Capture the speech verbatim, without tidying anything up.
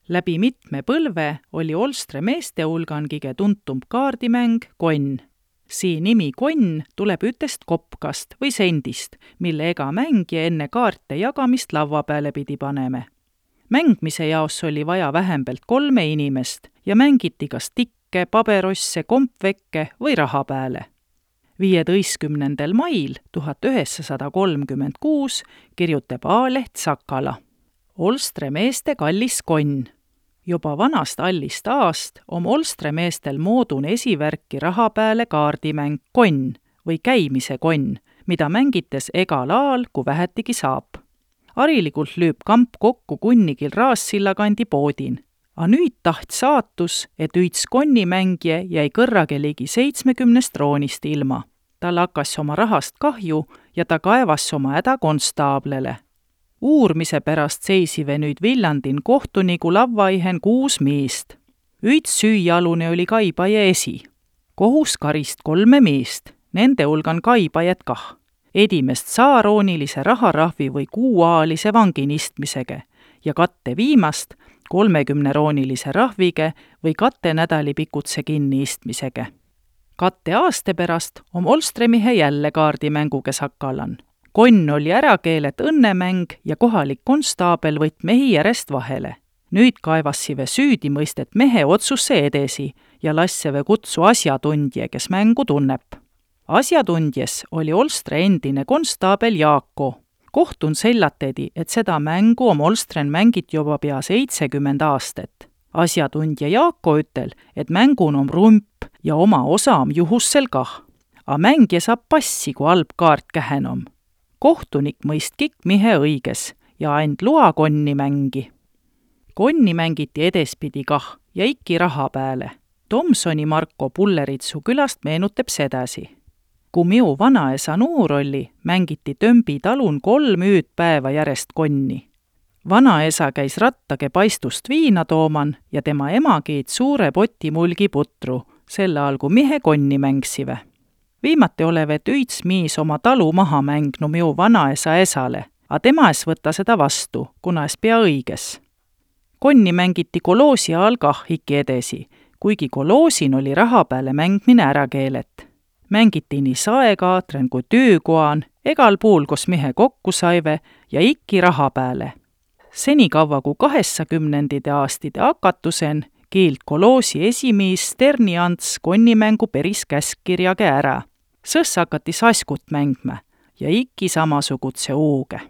Läbi mitme põlve oli Olstre meeste hulgan kõige tuntum kaardimäng konn. Sii nimi konn tuleb ütest kopkast või sendist, mille ega mängija enne kaarte jagamist laua peale pidi paneme. Mängmise jaos oli vaja vähembelt kolme inimest ja mängiti kas tikke, paberosse, kompvekke või raha peale. viieteistkümnendal mail tuhat üheksasada kolmkümmend kuus kirjutab A-leht Sakala. Olstre meeste kallis konn. Juba vanast allist aast on Olstre meestel moodun esivärki raha peale kaardimäng konn või käimise konn, mida mängites egal aal, kui vähetigi saab. Harilikult lüüb kamp kokku kunnigil Raassilla kandi poodin. A nüüd taht saatus, et üits konnimängije jäi kõrrage ligi seitsmekümnest roonist ilma. Tal hakkas oma rahast kahju ja ta kaevas oma häda konstaablele. Uurmise pärast seisive nüüd Villandin kohtunigu lavvaihen kuus miist. Üits süüjalune oli Kaibaje esi. Kohus karist kolme miist, nende hulgan Kaibajat kah. Edimest saaroonilise raharahvi või kuuaalise vanginistmisega ja katte viimast kolmekümneroonilise rahvige või katte nädali pikutse kinniistmisega. Katte aaste pärast on Olstremihe jälle kaardimänguga Sakalan. Konn oli ära keelet õnnemäng ja kohalik konstaabel võtt mehi järjest vahele. Nüüd kaevassive süüdi mõistet mehe otsusse edesi ja lasseve kutsu asjatundje, kes mängu tunneb. Asjatundjes oli Olstre endine konstaabel Jaako. Kohtun sellatedi, et seda mängu om Olstren mängit juba pea seitsekümmend aastat. Asjatundja Jaako ütel, et mängun om rump ja oma osa om juhussel kah. A mängija saab passi, kui halb kaart kähen om. Kohtunik mõist kik mihe õiges ja and lua konni mängi. Konni mängiti edespidi kah ja ikki raha peale. Tomsoni Marko Pulleritsu külast meenutab sedasi. Kui miu vanaesa nuur oli, mängiti Tömbi talun kolm üüd päeva järjest konni. Vanaesa käis rattage paistust viina tooman ja tema ema kiit suure poti mulgi putru, selle algu mihe konni mängsive. Viimati olevet üits miis oma talu maha mängnu miu vanaesa esale, a tema es võtta seda vastu, kuna es pea õiges. Konni mängiti koloosi all kah ikki edesi, kuigi koloosin oli raha peale mängmine ära keelet. Mängiti nii saekaatren kui töökoan, egal puul, kus mihe kokku saive ja ikki raha peale. Senikaua kui kaheksakümnendite aastide hakatusen kiilt koloosi esimiis Sterni Ants konnimängu peris käskkirjage ära. Sõs hakati saskut mängme ja ikki samasugutse uuge.